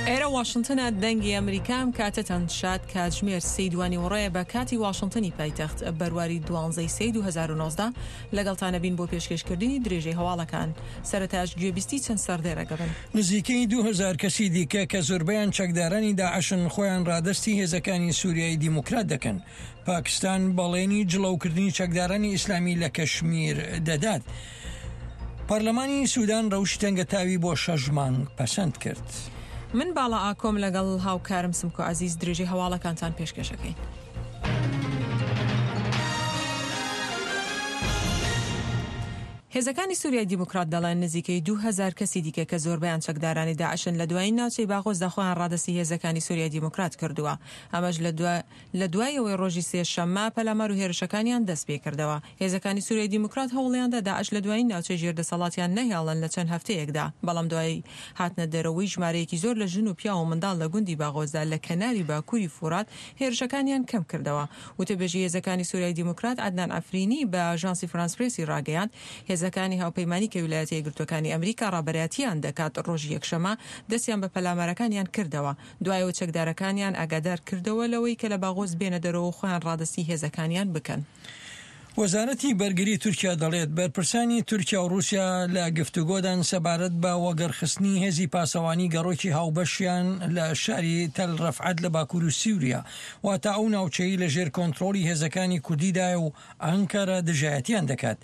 ئێرە واشنتنە دەنگی ئەمریکا ئەم کاتەتان شاد کاتژمێر سێی دوانیوەڕۆیە بە کاتی واشنتنی پایتەخت بەرواری دوانزەی سێی 2019 لەگەڵتانە بین بۆ پێشکێشکردنی درێژەی هەواڵەکان سەرەتاش گوێبیستی چەند سەردێڕێکە بن. نزیکەی 2000 کەسی دیکە کە زۆربەیان چەکدارانی داعشن خۆیان ڕادەستی هێزەکانی سوریای دیموکرات دەکەن. پاکستان بەڵێنی جڵەوکردنی چەکدارانی ئیسلامی لە کەشمیر دەدات. پەرلەمانی سودان رەوشی تەنگەتاوی بۆ شەش مانگ پەسەند کرد. من باڵا ئاکۆم لەگەڵ هاوکارم سمکۆ عەزیز درێژەی هەواڵەکانتان پێشکەش ئەکەین. هێزەکانی سوریای دیموکرات دەڵێن نزیکەی 2000 کەسی دیکە کە زۆربەیان چەکدارانی داعشن لە دوایین ناوچەی باغۆزدا خۆیان ڕادەستی هێزەکانی سوریای دیموکرات کردووە ئەمەش لە لە دوای ئەوەی ڕۆژی سێ شەممە پەلامار و هێرشەکانیان دەست پێکردەوە، هێزەکانی سوریای دیموکرات هەوڵیاندا داعش لە دوایین ناوچەی ژێر دەسەڵاتیان نەهێڵن لە چەند هەفتەیەکدا، بەڵام دوای هاتنە دەرەوەی ژمارەیەکی زۆر لە ژن و پیاو و منداڵ لە گوندی باغۆزدا لە کەناری باکوری فورات هێرشەکانیان کەم کردەوە. وتەبێژی هێزەکانی سوریای دیموکرات عەدنان عەفرینی بە ئاژانسی فرانس پرێسی ڕاگەیاند، هێزەکانی هاوپەیمانی کە ویلایەتە یەکگرتووەکانی ئەمریکا ڕابەرایەتیان دەکات ڕۆژی یەکشەممە دەستیان بە پەلامارەکانیان کردەوە. دوای ئەوەی چەکدارەکانیان ئاگادار کردەوە لەوەی کە لە باغۆز بێنە دەرەوە و خۆیان ڕادەستی هێزەکانیان بکەن. وەزارەتی بەرگری تورکیا دەڵێت، بەرپرسانی تورکیا و ڕووسیا لە گفتوگۆدان سەبارەت بە وەگەڕخستنی هێزی پاسەوانی گەڕۆکی هاوبەشیان لە شاری تەل ڕەفعەت لە باکووری سووریا، واتە ئەو ناوچەی لەژێر کۆنترۆڵی هێزەکانی کوردیدایە و ئەنکەرە دژایەتیان دەکات.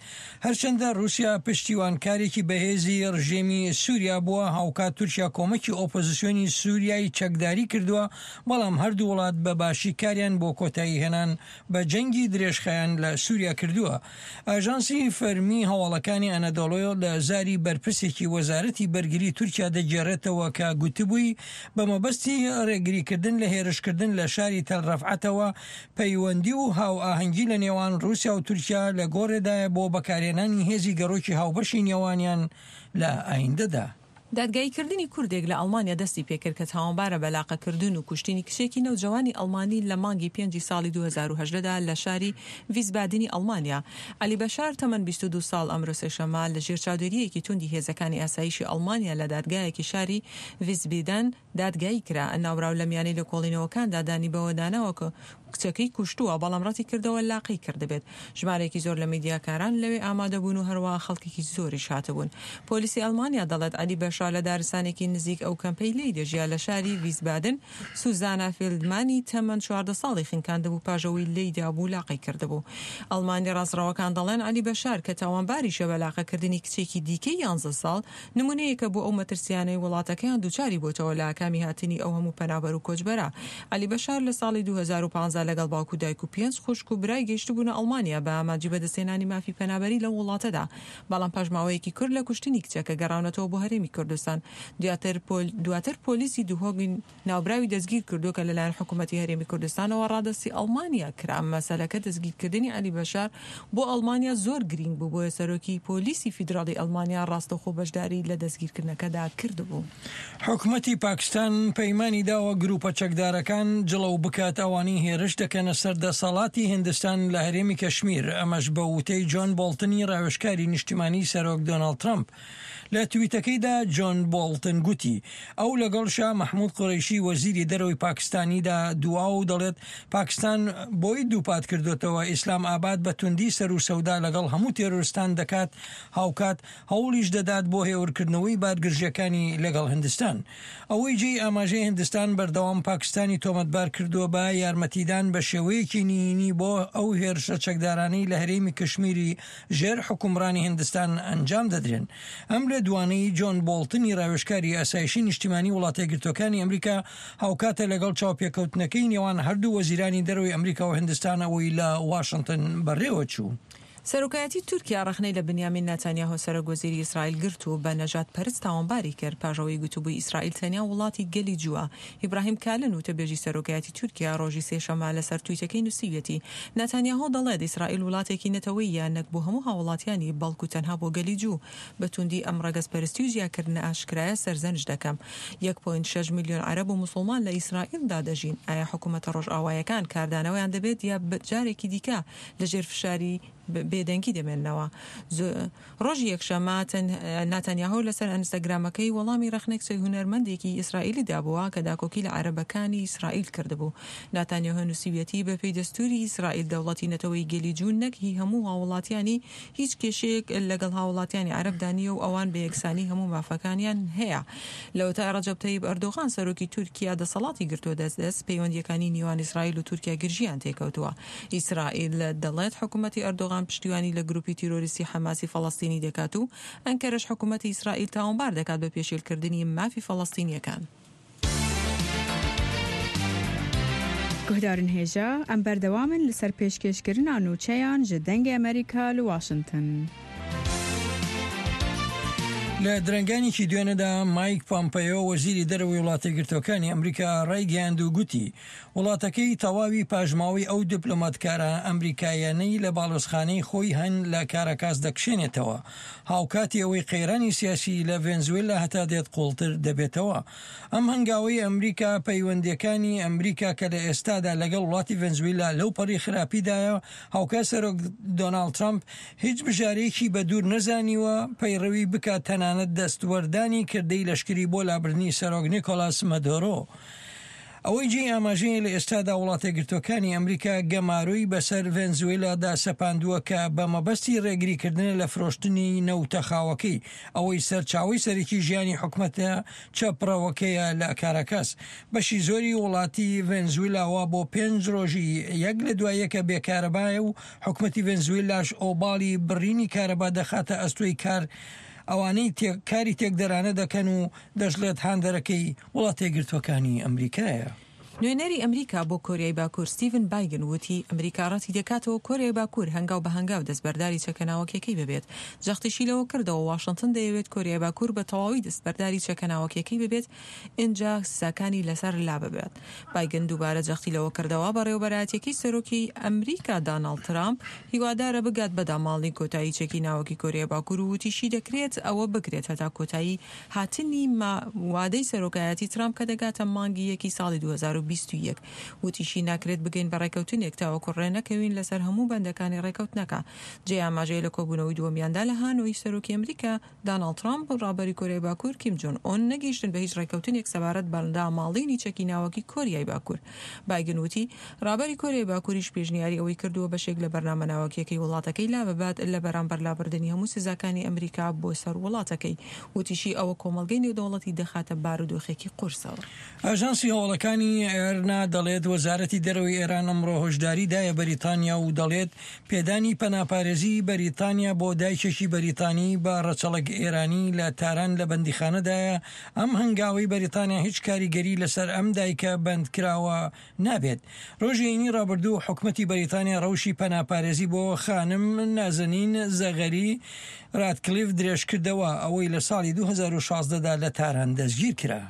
هەرچەندە رووسیا پشتیوانکارێکی بەهێزی رژێمی سووریا بووە، هاوکات تورکیا کۆمەکی ئۆپۆزسیۆنی سووریای چەکداری کردووە، بەڵام هەردوو وڵات بە باشی کاریان بۆ کۆتاییهێنان بە جەنگی درێژخایەن لە سووریا کردووە. ئاژانسی فەرمی هەواڵەکانی ئەنەدۆڵۆ لە زاری بەرپرسێکی وەزارەتی بەرگری تورکیا دەگێڕێتەوە کە گوتبووی، بە مەبەستی رێگریکردن لە هێرشکردن لە شاری تەل رەفعەتەوە، پەیوەندی و هاوئاهەنگی لە نێوان ڕووسیا و تورکیا لە گۆڕێدایە بۆ بەکارهێنانی هێزی گەڕۆکی هاوبەشی نێوانیان لە ئایندەدا. دادگاییکردنی کوردێک لە ئەڵمانیا دەستی پێکرد کە تاوانبارە بە لاقەکردن و کوشتنی کچێکی نەوجەوانی ئەڵمانی لە مانگی پێنجی ساڵی 2018 دا لە شاری ڤیسبادنی ئەڵمانیا. عەلی بەشار تەمەن 22 ساڵ ئەمرۆ سێشەممە لە ژێر چاودێرییەکی توندی هێزەکانی ئاسایشی ئەڵمانیا لە دادگایەکی شاری ڤیسبیدەن دادگایی کرا. ناوبراو لە میانەی لێکۆڵینەوەکاندا دانی بەوەداناوە کە کچەکەی کوشتووە، بەڵام ڕەتیکردەوە لاقەی کردبێت. ژمارەیەکی زۆر لە میدیاکاران لەوێ ئامادەبوون و هەروەها خەڵکێکی زۆریش هاتبوون. پۆلیسی ئەڵمانیا دەڵێت عەلی بەشار لە دارستانێکی نزیک ئەو کەمپەی لێی دەژیا لە شاری ڤیسبادن، سوزانا فیلدمانی تەمەن 14 ساڵی خنکاندبوو پاش ئەوەی لێی دابوو لاقەی کردبوو. ئەڵمانی ڕاستڕەوەکان دەڵێن عەلی بەشار کە تاوانباریشە بە لاقەکردنی کچێکی دیکەی یانزە ساڵ، نمونەیەکە بۆ ئەو مەترسیانەی وڵاتەکەیان دووچاری بۆتەوە لە ئاکامی هاتنی ئەو هەموو پەنابەر و کۆچبەرە. عەلی بەشار لە ساڵی 2015 لەگەڵ باوک و دایک و پێنج خوشک و برای گەیشتبوونە ئەڵمانیا بە ئامانجی بەدەستهێنانی مافی پەنابەری لەو وڵاتەدا، بەڵام پاش ماوەیەکی کورت لە کوشتنی کچەکە گەڕاونەتەوە بۆ هەرێمی کوردستان. دواتر پۆلیسی دهۆک ناوبراوی دەستگیر کردووە کە لەلایەن حکوومەتی هەرێمی کوردستانەوە ڕادەستی ئەڵمانیا کرا. مەسەلەکە دەستگیرکردنی عەلی بەشار بۆ ئەڵمانیا زۆر گرینگ بوو، بۆیە سەرۆکی پۆلیسی فیدراڵی ئەڵمانیا ڕاستەوخۆ بەشداری لە دەستگیرکردنەکەدا کردبوو. حکومەتی پاکستان پەیمانی داوە گروپە چەکدارەکان جڵەو بکات ئەوانەی هێرش دەکەنە سەر دەسەڵاتی هیندستان لە هەرێمی کەشمیر، ئەمەش بە وتەی جۆن بۆڵتنی ڕاوێژکاری نیشتیمانی سەرۆک دۆناڵد ترەمپ. لە تویتەکەیدا جۆن بۆڵتن گوتی، ئەو لەگەڵ شا مەحمود قورەیشی وەزیری دەرەوەی پاکستانیدا دوا و دەڵێت پاکستان بۆی دووپات کردۆتەوە ئیسلام ئاباد بە توندی سەروسەودا لەگەڵ هەموو تێرۆرستان دەکات هاوکات هەوڵیش دەدات بۆ هێورکردنەوەی بارگرژیەکانی لەگەڵ هندستان. ئەوەی جێی ئاماژەیە هندستان بەردەوام پاکستانی تۆمەتبار کردووە بە یارمەتیدان بە شێوەیەکی نهینی بۆ ئەو هێرشە چەکدارانەی لە هەرێمی کشمیری ژێر حوکمڕانی هندستان ئەنجام دەدرێن. ئەم لێدوانەی جۆن بۆڵتنی راوێژکاری ئاسایشی نیشتیمانی وڵاتەیەکگرتووەکانی ئەمریکا هاوکاتە لەگەڵ چاوپێکەوتنەکەی نێوان هەردوو وەزیرانی دەرەوەی ئەمریکا و هندستان ئەوەی لە واشنتن بەڕێوەچوو. سەرۆکایەتی تورکیا ڕەخنەی لە بنیامین ناتانیاهۆ سەرۆک وەزیری ئیسرائیل گرت و بە نەژادپەرست تاوانباری کرد پاش ئەوەی گوتبووی ئیسرائیل تەنیا وڵاتی گەلی جووە. ئیبراهیم کالن وتەبێژی سەرۆکایەتی تورکیا ڕۆژی سێشەممە لەسەر تویتەکەی نووسیویەتی ناتانیاهۆ دەڵێت ئیسرائیل وڵاتێکی نەتەوەییە نەک بۆ هەموو هاوڵاتیانی بەڵکو تەنها بۆ گەلی جوو. بە توندی ئەم ڕەگەزپەرستی و جیاکردنە ئاشکرایە سەرزەنشت دەکەم. یەک پۆینت شەش ملیۆن عەرەب و موسڵمان لە ئیسرائیلدا دەژین. ئایا حکومەتە ڕۆژئاوایەکان کاردانەوەیان دەبێت یا جارێکی دیکە لە ژێر فشاری. بێدەنگی دەمێننەوە. ڕۆژی یەکشەممە، ناتانیاهۆ لەسەر ئەنستاگرامەکەی وەڵامی ڕەخنەی کچە هونەرمەندێکی ئیسرائیلی دابووە کە داکۆکی لە عەرەبەکانی ئیسرائیل کردبوو. ناتانیاهۆ نووسیویەتی، بەپێی دەستووری ئیسرائیل دەوڵەتی نەتەوەی گەلی جوو نەک هی هەموو هاووڵاتیانی هیچ کێشەیەک لەگەڵ هاووڵاتیانی عەرەبدا نییە و ئەوان بە یەکسانی هەموو مافەکانیان هەیە. لەوەتای ڕەجەب تەیب ئەردۆغان سەرۆکی تورکیا دەسەڵاتی گرتووە دەست دەست، پەیوەندییەکانی نیوان ئیسرائیل و تورکیا گرژییان تێکەوتووە. ئیسرائیل دەڵێت حکومەتی ئەردۆغان پشتیوانی لە گروپی تیرۆریستی حەماسی فەڵەستینی دەکات و ئەنکەرەش حکومەتی ئیسرائیل تاوانبار دەکات بە پێشێلکردنی مافی فەڵەستینییەکان. Guhdarên hêja, em berdewam in li ser pêşkêşkirina nûçeyan ji Dengê Amerîka li Washington. لە درەنگانێکی دوێنێدا مایک پۆمپەیۆ وەزیری دەرەوەی وڵاتەیەکگرتووەکانی ئەمریکا ڕایگەیاند و گوتی وڵاتەکەی تەواوی پاشماوەی ئەو دیپلۆماتکارە ئەمریکاییانەی لە باڵیۆزخانەی خۆی هەن لە کاراکاس دەکشێنێتەوە، هاوکاتی ئەوەی قەیرانی سیاسی لە ڤێنزوێلا هەتا دێت قوڵتر دەبێتەوە. ئەم هەنگاوەی ئەمریکا پەیوەندییەکانی ئەمریکا کە لە ئێستادا لەگەڵ وڵاتی ڤێنزویلا لەو پەڕی خراپیدایە، هاوکات سەرۆک دۆناڵد ترەمپ هیچ بژارەیەکی بە دوور نەزانیوە پەیڕەوی بکات تەنانەت دەستوەردانی کردەی لەشکری بۆ لابردنی سەرۆک نیکۆلاس مەدۆرۆ. ئەوەی جێی ئاماژەیە لە ئێستادا وڵاتەیەکگرتووەکانی ئەمریکا گەمارۆی بەسەر ڤێنزوێلادا سەپاندووە کە بە مەبەستی ڕێگریکردنە لە فرۆشتنی نەوتە خاوەکەی، ئەوەی سەرچاوەی سەرەکی ژیانی حکومەتە چەپڕەوەکەیە لە کاراکاس. بەشی زۆری وڵاتی ڤێنزویلا وا بۆ پێنج ڕۆژی یەک لە دوای یەکە بێ کارەبایە و حکومەتی ڤێنزویلاش ئۆباڵی بڕینی کارەبا دەخاتە ئەستۆی کار ئەوانەی کاری تێکدەرانە دەکەن و دەشڵێت هاندەرەکەی وڵاتەیەکگرتووەکانی ئەمریکایە. نوێنەری ئەمریکا بۆ کۆریای باکوور ستیڤن بایگن وتی، ئەمریکا ڕەتیدەکاتەوە کۆریای باکوور هەنگاو بە هەنگاو دەستبەرداری چەکە ناوەکیەکەی ببێت. جەختیشی لەوە کردەوە واشنتن دەیەوێت کۆریای باکوور بە تەواوی دەستبەرداری چەکە ناوەکیەکەی ببێت ئینجا سزاکانی لەسەر لاببات. بایگن دووبارە جەختی لەوە کردەوە بەڕێوەبەرایەتیەکەی سەرۆکی ئەمریکا داناڵد ترامپ هیوادارە بگات بە داماڵنی کۆتایی چەکی ناوەکی کۆریای باکوور و وتیشی دەکرێت ئەوە بکرێت هەتا کۆتایی هاتنی وادەی سەرۆکایەتی ترامپ کە دەگاتە مانگی یەکی ساڵی 2021. وتیشی ناکرێت بگەین بە ڕێکەوتنێک تاوەکو ڕێنەکەوین لەسەر هەموو بەندەکانی ڕێکەوتنەکە. جێی ئاماژەیە لە کۆبوونەوەی دووەمیاندا لە هانۆی سەرۆکی ئەمریکا داناڵد ترامپ و ڕابەری کۆریای باکوور کیم جۆن ئۆن نەگەیشتن بە هیچ ڕێکەوتنێک سەبارەت بە داماڵینی چەکی ناوەکی کۆریای باکوور. بایگن وتی، ڕابەری کۆریای باکووریش پێشنیاری ئەوەی کردووە بەشێک لە بەرنامە ناوەکییەکەی وڵاتەکەی لاببات لە بەرامبەر لابردنی هەموو سزاکانی ئەمریکا بۆ سەر وڵاتەکەی. وتیشی، ئەوە کۆمەڵگەی نێودەوڵەتی دەخاتە بارودۆخێکی قورسەوە. ئاژانسی هەواڵەکانی ئێرنا دەڵێت، وەزارەتی دەرەوەی ئێران ئەمڕۆ هۆشداری دایە بەریتانیا و دەڵێت، پێدانی پەناپارێزیی بەریتانیا بۆ دایکێکی بەریتانی بە ڕەچەڵەک ئێرانی لە تاران لە بەندیخانەدایە، ئەم هەنگاوەی بەریتانیا هیچ کاریگەری لەسەر ئەم دایکە بەندکراوە نابێت. ڕۆژی هەینی ڕابردوو حکومەتی بەریتانیا ڕەوشی پەناپارێزی بۆ خانم نازەنین زەغەری راتکلیف درێژکردەوە، ئەوەی لە ساڵی 2016 دا لە تاران دەستگیرکرا.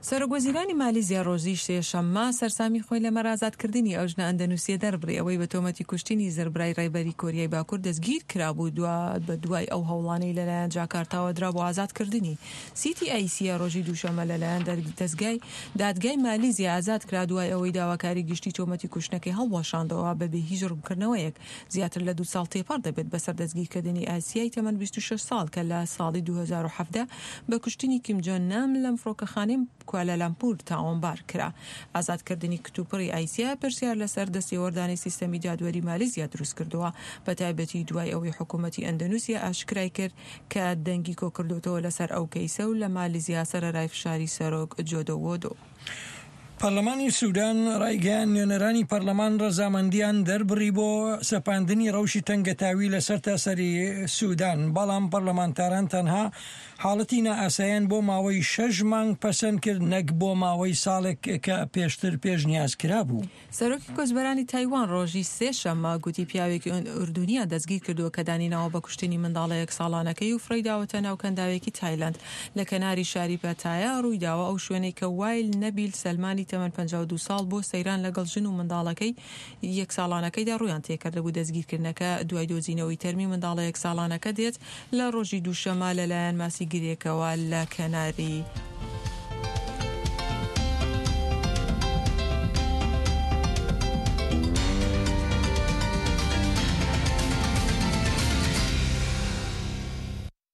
سەرۆک وەزیرانی مالیزیا ڕۆژی سێشەممە سەرسامی خۆی لەمەڕ ئازادکردنی ئەو ژنە ئەندەنوسییە دەربڕی ئەوەی بە تۆمەتی کوشتنی زڕبرای ڕێبەری کۆریای باکور دەستگیر کرابوو دوا بە دوای ئەو هەوڵانەی لەلایەن جاکارتاوە درا بۆ ئازادکردنی سیتی ئایسیا ڕۆژی دووشەممە لەلایەن دەزگای دادگای مالیزیا ئازاد کرا دوای ئەوەی داواکاری گشتی تۆمەتی کوشتنەکەی هەڵوەشاندەوە بەبێ هیچ ڕوونکردنەوەیەک. زیاتر لە دوو ساڵ تێپەڕ دەبێت بەسەر دەستگیرکردنی ئاسیای تەمەن 26 ساڵ کە لە ساڵی 2017 بە کوشتنی کیم جۆن نام لەم فڕۆکەخانەی کوالالامپور تاوانبار کرا. ئازادکردنی کتوپڕی ئایسیا پرسیار لەسەر دەستێوەردانی سیستەمی دادوەری مالیزیا دروستکردووە، بەتایبەتی دوای ئەوەی حکوومەتی ئەندەنوسیا ئاشکرای کرد کە دەنگی کۆکردۆتەوە لەسەر ئەو کەیسە و لە مالیزیا سەرەرای فشاری سەرۆک جۆدۆ وۆدۆ. پەرلەمانی سودان ڕایگەیاند، نوێنەرانی پەرلەمان ڕەزامەندیان دەربڕی بۆ سەپاندنی ڕەوشی تەنگەتاوی لە سەرتاسەری سودان، بەڵام پەرلەمانتاران تەنها حاڵەتی نائاساییان بۆ ماوەی شەش مانگ پەسەند کرد نەک بۆ ماوەی ساڵێک کە پێشتر پێشنیاز کرابوو. سەرۆکی کۆچبەرانی تایوان ڕۆژی سێ شەممە گوتی پیاوێکی ئوردونیان دەستگیر کردووە کە دانی ناوە بە کوشتنی منداڵە یەک ساڵانەکەی و فڕێی داوەتە ناو کەنداوێکی تایلەند لە کەناری شاری پەتایا ڕوویداوە ئەو شوێنەی کە وایل نەبیل سەلمانی تەمەن 52 ساڵ بۆ سەیران لەگەڵ ژن و منداڵەکەی یەک ساڵانەکەیدا ڕوویان تێکردبوو دەستگیرکردنەکە دوای دۆزینەوەی تەرمی منداڵە یەک ساڵانەکە دێت لە ڕۆژی دووشەمە لەلایەن ماسیگرێکەوە لە کەناری.